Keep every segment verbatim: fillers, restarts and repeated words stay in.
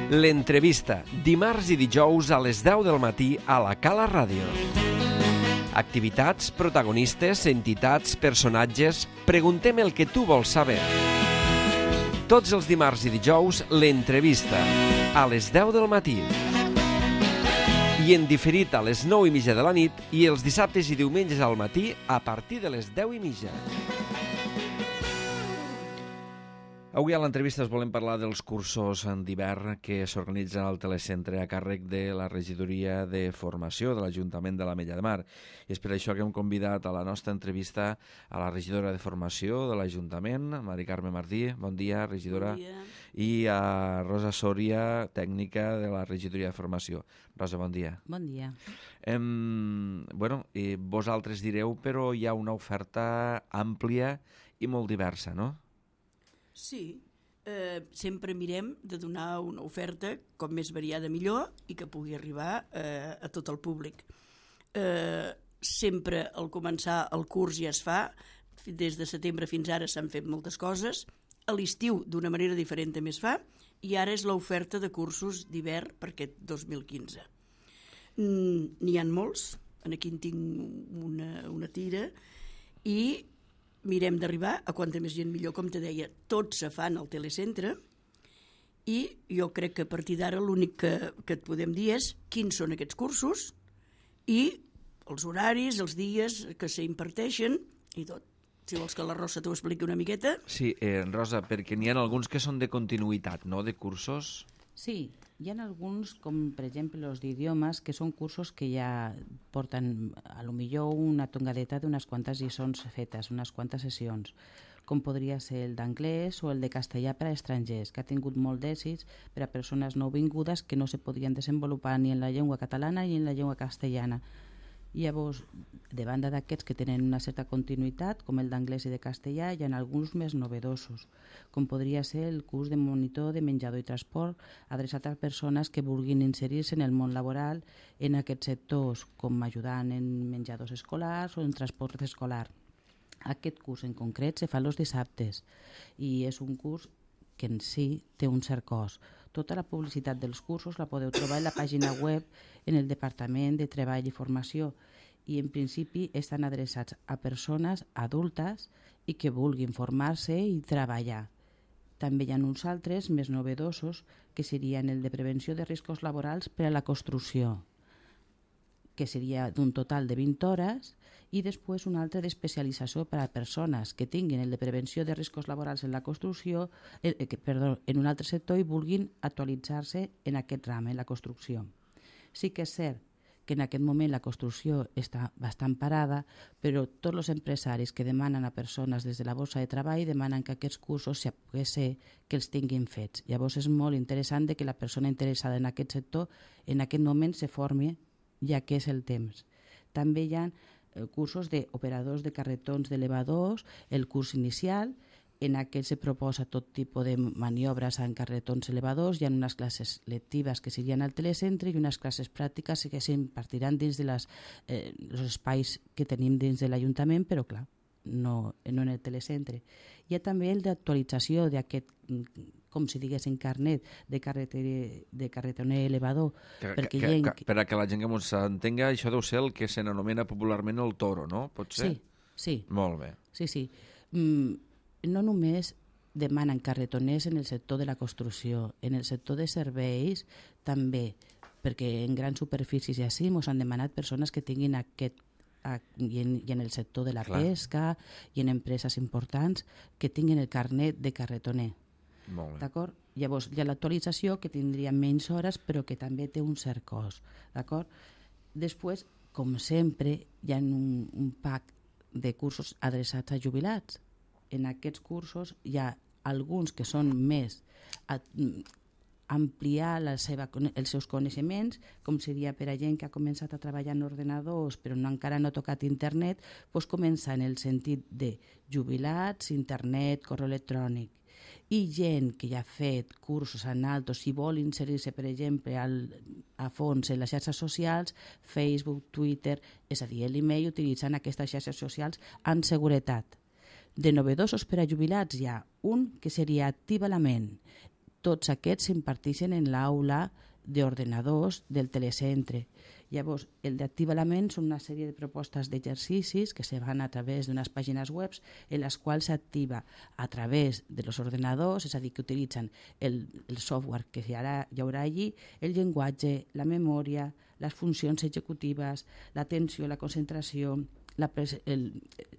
L'entrevista, dimarts i dijous a les deu del matí a la Cala Ràdio. Activitats, protagonistes, entitats, personatges... Preguntem el que tu vols saber. Tots els dimarts i dijous, l'entrevista, a les deu del matí. I en diferit a les nou i mitja de la nit i els dissabtes i diumenges al matí a partir de les deu i mitja. Avui a l'entrevista us volem parlar dels cursos d'hivern que s'organitzen al telecentre a càrrec de la regidoria de formació de l'Ajuntament de l'Ametlla de Mar. I és per això que hem convidat a la nostra entrevista a la regidora de formació de l'Ajuntament, Mari Carme Martí. Bon dia, regidora. Bon dia. I a Rosa Soria, tècnica de la regidoria de formació. Rosa, bon dia. Bon dia. Em, bueno, eh, vosaltres direu, però hi ha una oferta àmplia i molt diversa, no? Sí, eh, sempre mirem de donar una oferta com més variada millor i que pugui arribar eh, a tot el públic. Eh, sempre al començar el curs ja es fa, des de setembre fins ara s'han fet moltes coses, a l'estiu d'una manera diferent també es fa, i ara és l'oferta de cursos d'hivern per aquest dos mil quinze. Mm, n'hi ha molts, aquí en tinc una, una tira, i mirem d'arribar a quanta més gent millor, com te deia, tots se fan al telecentre i jo crec que a partir d'ara l'únic que, que et podem dir és quins són aquests cursos i els horaris, els dies que s'imparteixen i tot. Si vols que la Rosa t'ho expliqui una miqueta. Sí, eh, Rosa, perquè n'hi ha alguns que són de continuïtat, no?, de cursos. Sí, hi ha alguns, com per exemple els d'idiomes, que són cursos que ja porten a lo millor una tongadeta d'unes quantes lliçons fetes, unes quantes sessions, com podria ser el d'anglès o el de castellà per a estrangers, que ha tingut molt d'èxits per a persones nouvingudes que no se podien desenvolupar ni en la llengua catalana ni en la llengua castellana. Llavors, de banda d'aquests que tenen una certa continuïtat, com el d'anglès i de castellà, hi ha alguns més novedosos, com podria ser el curs de monitor de menjador i transport, adreçat a persones que vulguin inserir-se en el món laboral en aquests sectors, com ajudant en menjadors escolars o en transport escolar. Aquest curs en concret se fa els dissabtes i és un curs que en si té un cert cost. Tota la publicitat dels cursos la podeu trobar en la pàgina web en el Departament de Treball i Formació i en principi estan adreçats a persones adultes i que vulguin formar-se i treballar. També hi ha uns altres més novedosos que serien el de prevenció de riscos laborals per a la construcció, que seria d'un total de vint hores, i després un altre d'especialització per a persones que tinguin el de prevenció de riscos laborals en la construcció, eh, que, perdó, en un altre sector i vulguin actualitzar-se en aquest ram, en la construcció. Sí que és cert que en aquest moment la construcció està bastant parada, però tots els empresaris que demanen a persones des de la borsa de treball demanen que aquests cursos, si pogués ser, que els tinguin fets. Llavors és molt interessant que la persona interessada en aquest sector en aquest moment se formi, ja que és el temps. També hi ha cursos d'operadors de carretons d'elevadors, el curs inicial, en aquest se proposa tot tipus de maniobres en carretons elevadors, hi ha unes classes lectives que serien al telecentre i unes classes pràctiques que s'impartiran dins dels eh, espais que tenim dins de l'Ajuntament, però clar, no, no en el telecentre. Hi ha també el d'actualització d'aquest, com si diguéssim, carnet de, de carretoner elevador. Que, perquè que, gent... que, per a que la gent que s'entenga, això deu ser el que se n'anomena popularment el toro, no? Pot ser? Sí, sí. Molt bé. Sí, sí. Mm, no només demanen carretoners en el sector de la construcció, en el sector de serveis també, perquè en grans superfícies i així ens han demanat persones que tinguin aquest I en, i en el sector de la Clar. pesca i en empreses importants que tinguin el carnet de carretoner. D'acord? Llavors hi ha l'actualització que tindria menys hores però que també té un cert cost. D'acord? Després, com sempre, hi ha un, un pack de cursos adreçats a jubilats. En aquests cursos hi ha alguns que són més a, ampliar la seva, els seus coneixements, com seria per a gent que ha començat a treballar en ordenadors però no, encara no ha tocat internet, doncs comença en el sentit de jubilats, internet, correu electrònic. I gent que ja ha fet cursos en altos i vol inserir-se, per exemple, al, a fons en les xarxes socials, Facebook, Twitter, és a dir, l'email, utilitzant aquestes xarxes socials amb seguretat. De novedosos per a jubilats hi ha un que seria Activa la Ment. tots aquests s'imparteixen en l'aula d'ordenadors del telecentre. Llavors, el d'Activa la Ment són una sèrie de propostes d'exercicis que se van a través d'unes pàgines web en les quals s'activa a través de los ordenadors, és a dir, que utilitzen el, el software que hi haurà, hi haurà allí, el llenguatge, la memòria, les funcions executives, l'atenció, la concentració, la pres- el,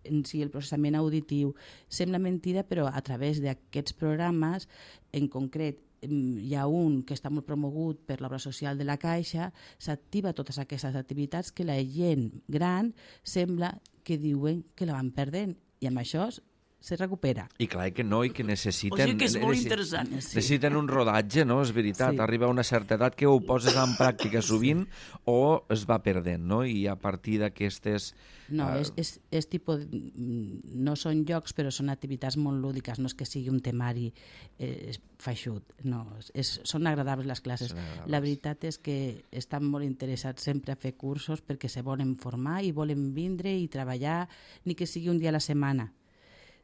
en si el processament auditiu. Sembla mentida, però a través d'aquests programes, en concret, hi ha un que està molt promogut per l'obra social de la Caixa, s'activa totes aquestes activitats que la gent gran sembla que diuen que la van perdent, i amb això se recupera. I clar que no, i que necessiten... O sigui que és molt necessiten, interessant. Sí. Necessiten un rodatge, no? És veritat. Sí. Arriba a una certa edat que ho poses en pràctica sovint o es va perdent, no? I a partir d'aquestes... No, uh... és, és, és tipus... No són jocs, però són activitats molt lúdiques. No és que sigui un temari eh, feixut. No, és, són agradables les classes. Agradables. La veritat és que estan molt interessats sempre a fer cursos perquè se volen formar i volen vindre i treballar, ni que sigui un dia a la setmana.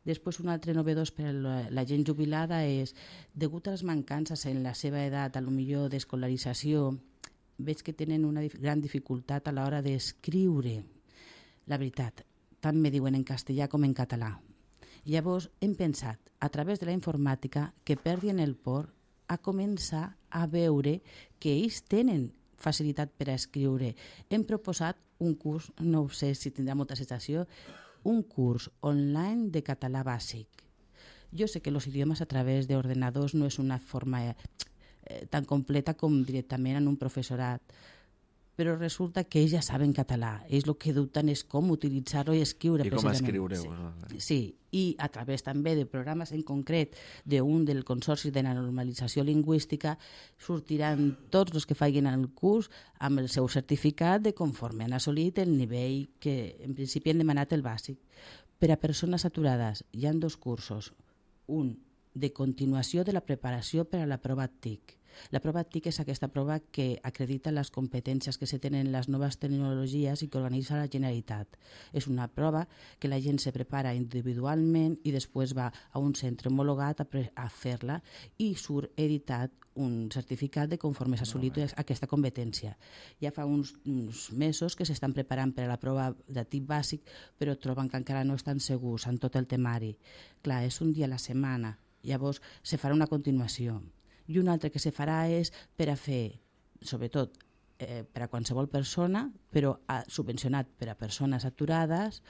Després, un altre novedós per a la, la gent jubilada és, degut a les mancances en la seva edat, a lo millor d'escolarització, veig que tenen una dif- gran dificultat a l'hora d'escriure. La veritat, tant me diuen en castellà com en català. Llavors, hem pensat, a través de la informàtica, que perdien el por a començar a veure que ells tenen facilitat per a escriure. Hem proposat un curs, no sé si tindrà molta acceptació, un curs online de català bàsic. Jo sé que els idiomes a través d'ordenadors no és una forma eh, tan completa com directament en un professorat, però resulta que ells ja saben català. Ells el que dubten és com utilitzar-lo i escriure. I com precisament. escriure-ho. Sí. sí, i a través també de programes en concret d'un del Consorci de la Normalització Lingüística sortiran tots els que facin el curs amb el seu certificat de conforme han assolit el nivell que en principi han demanat el bàsic. Per a persones aturades hi ha dos cursos. Un de continuació de la preparació per a la prova T I C. La prova T I C és aquesta prova que acredita les competències que se tenen en les noves tecnologies i que organitza la Generalitat. És una prova que la gent se prepara individualment i després va a un centre homologat a, a fer-la i surt editat un certificat de conforme s'ha assolit aquesta competència. Ja fa uns, uns mesos que s'estan preparant per a la prova de tip bàsic, però troben que encara no estan segurs en tot el temari. Clar, és un dia a la setmana, llavors se farà una continuació. I un altre que se farà és per a fer, sobretot eh, per a qualsevol persona, però a, subvencionat per a persones aturades,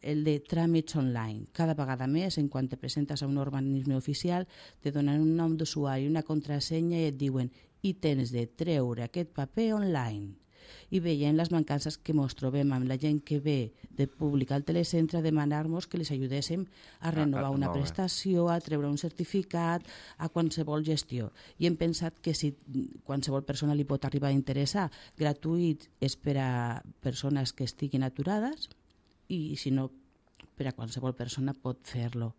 el de tràmits online. Cada vegada més, en quan te presentes a un organisme oficial, te donen un nom d'usuari, una contrasenya i et diuen i tens de treure aquest paper online. I veient les mancances que ens trobem amb la gent que ve de públic al telecentre a demanar-nos que les ajudéssim a renovar una prestació, a treure un certificat, a qualsevol gestió. I hem pensat que si qualsevol persona li pot arribar a interessar, gratuït és per a persones que estiguin aturades i si no, per a qualsevol persona pot fer-lo.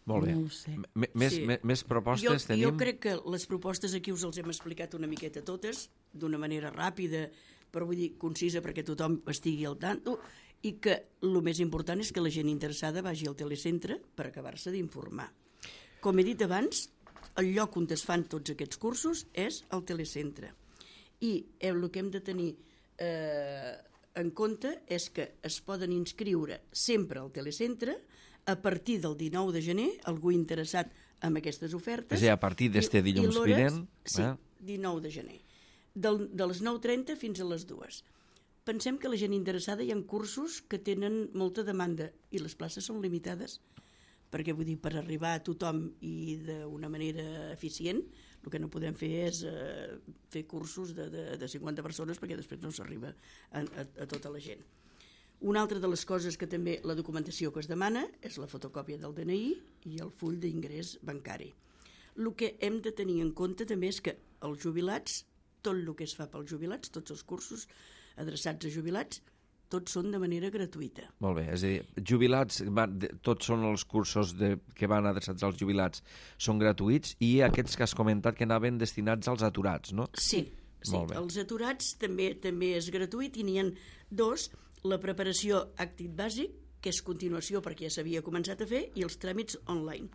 Molt bé. No ho sé. M més, Sí. més, més propostes jo, tenim? Jo crec que les propostes aquí us els hem explicat una miqueta totes, d'una manera ràpida, però vull dir concisa perquè tothom estigui al tanto, i que el més important és que la gent interessada vagi al telecentre per acabar-se d'informar. Com he dit abans, el lloc on es fan tots aquests cursos és el telecentre. I el que hem de tenir eh, en compte és que es poden inscriure sempre al telecentre a partir del dinou de gener, algú interessat en aquestes ofertes. És a dir, a partir d'este dilluns vinent. Sí, eh? dinou de gener. Del, de les nou trenta fins a les dues. Pensem que la gent interessada hi ha cursos que tenen molta demanda i les places són limitades, perquè vull dir, per arribar a tothom i d'una manera eficient, el que no podem fer és eh, fer cursos de, de, de cinquanta persones perquè després no s'arriba a, a, a tota la gent. Una altra de les coses que també la documentació que es demana és la fotocòpia del D N I i el full d'ingrés bancari. El que hem de tenir en compte també és que els jubilats, tot el que es fa pels jubilats, tots els cursos adreçats a jubilats, tots són de manera gratuïta. Molt bé, és a dir, jubilats, van, de, tots són els cursos de, que van adreçats als jubilats, són gratuïts i aquests que has comentat que anaven destinats als aturats, no? Sí, sí. Els aturats també també és gratuït i n'hi ha dos, la preparació actit bàsic, que és continuació perquè ja s'havia començat a fer, i els tràmits online.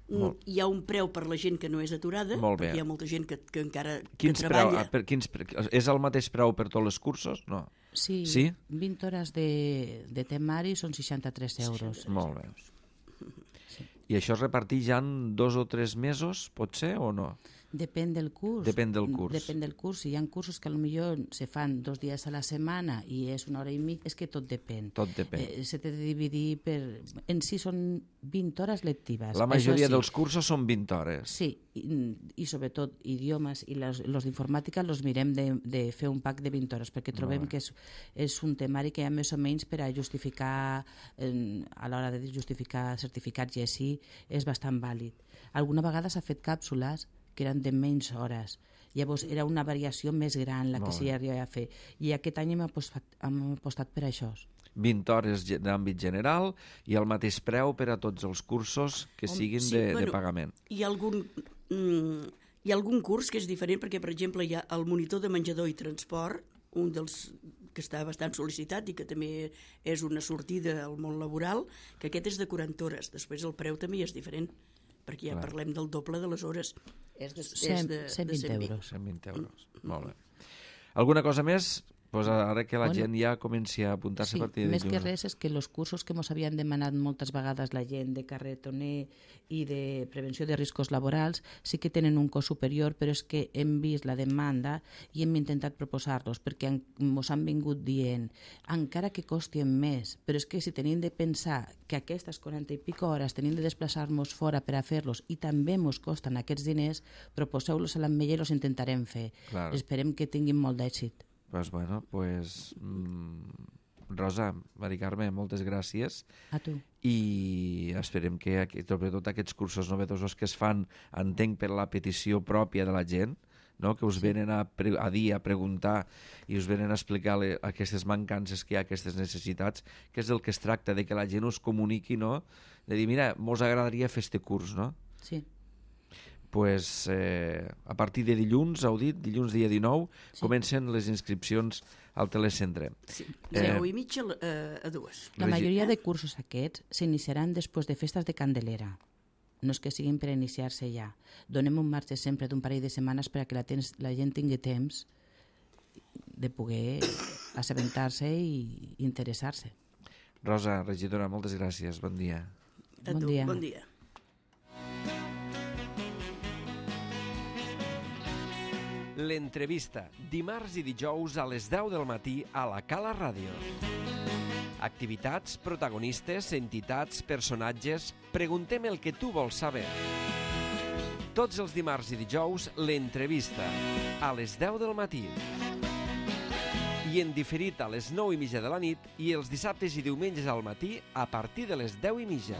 Molt. Hi ha un preu per la gent que no és aturada, Molt bé. perquè hi ha molta gent que, que encara Quins que preu, treballa. ah, per, quins, pre- és el mateix preu per tots els cursos? No. Sí, Sí? vint hores de, de temari són seixanta-tres euros. Molt bé. I això es reparteix ja en dos o tres mesos, pot ser, o no? Depèn del curs. Depèn del curs. Depèn del curs. Si hi ha cursos que potser se fan dos dies a la setmana i és una hora i mig, és que tot depèn. Tot depèn. Eh, se té de dividir per... En si són vint hores lectives. La majoria Això sí. dels cursos són vint hores. Sí, i, i sobretot idiomes i les, los d'informàtica los mirem de, de fer un pack de vint hores, perquè trobem que és, és un temari que hi ha més o menys per a justificar, eh, a l'hora de justificar certificats i així, és bastant vàlid. Alguna vegada s'ha fet càpsules que eren de menys hores. Llavors era una variació més gran la que s'hi arribava a fer. I aquest any hem apostat, hem apostat per això. vint hores ge- d'àmbit general i el mateix preu per a tots els cursos que siguin Sí, de, bueno, de pagament. Hi ha algun... Mm, hi ha algun curs que és diferent perquè, per exemple, hi ha el monitor de menjador i transport, un dels que està bastant sol·licitat i que també és una sortida al món laboral, que aquest és de quaranta hores. Després el preu també és diferent, perquè ja Clar. parlem del doble de les hores. És de, Cent- és de, cent vint de euros. cent vint euros. Molt bé. Alguna cosa més? Pues ara que la Bueno, gent ja comenci a apuntar-se Sí, a partir de més que dilluns. res és que els cursos que ens havien demanat moltes vegades la gent de carretoner i de prevenció de riscos laborals sí que tenen un cost superior, però és que hem vist la demanda i hem intentat proposar-los perquè ens han vingut dient encara que costien més, però és que si tenim de pensar que aquestes quaranta i pico hores tenim de desplaçar-nos fora per a fer-los i també ens costen aquests diners, proposeu-los a l'Ametlla i els intentarem fer. Clar. Esperem que tinguin molt d'èxit. Pues bueno, pues... Mm, Rosa, Mari Carme, moltes gràcies A tu. i esperem que aqu- sobretot aquests cursos novedosos que es fan, entenc per la petició pròpia de la gent, no? Que us venen a, pre a dir, a preguntar i us venen a explicar le aquestes mancances que hi ha, aquestes necessitats, que és el que es tracta, de que la gent us comuniqui, no? De dir, mira, mos agradaria fer este curs, no? Sí. Pues, eh, a partir de dilluns, heu dit, dilluns dia dinou, sí. Comencen les inscripcions al telecentre. Sí, Eh, zero i mitja a, a dues. La Regi- majoria de cursos aquests s'iniciaran després de festes de Candelera. No és que siguin per iniciar-se ja. Donem un marge sempre d'un parell de setmanes per a que la, tens, la gent tingui temps de poder assabentar-se i interessar-se. Rosa, regidora, moltes gràcies, bon dia. A Bon tu, dia. bon dia. L'entrevista, dimarts i dijous a les deu del matí a la Cala Ràdio. Activitats, protagonistes, entitats, personatges... Preguntem el que tu vols saber. Tots els dimarts i dijous, l'entrevista, a les deu del matí. I en diferit a les nou i mitja de la nit i els dissabtes i diumenges al matí a partir de les deu i mitja.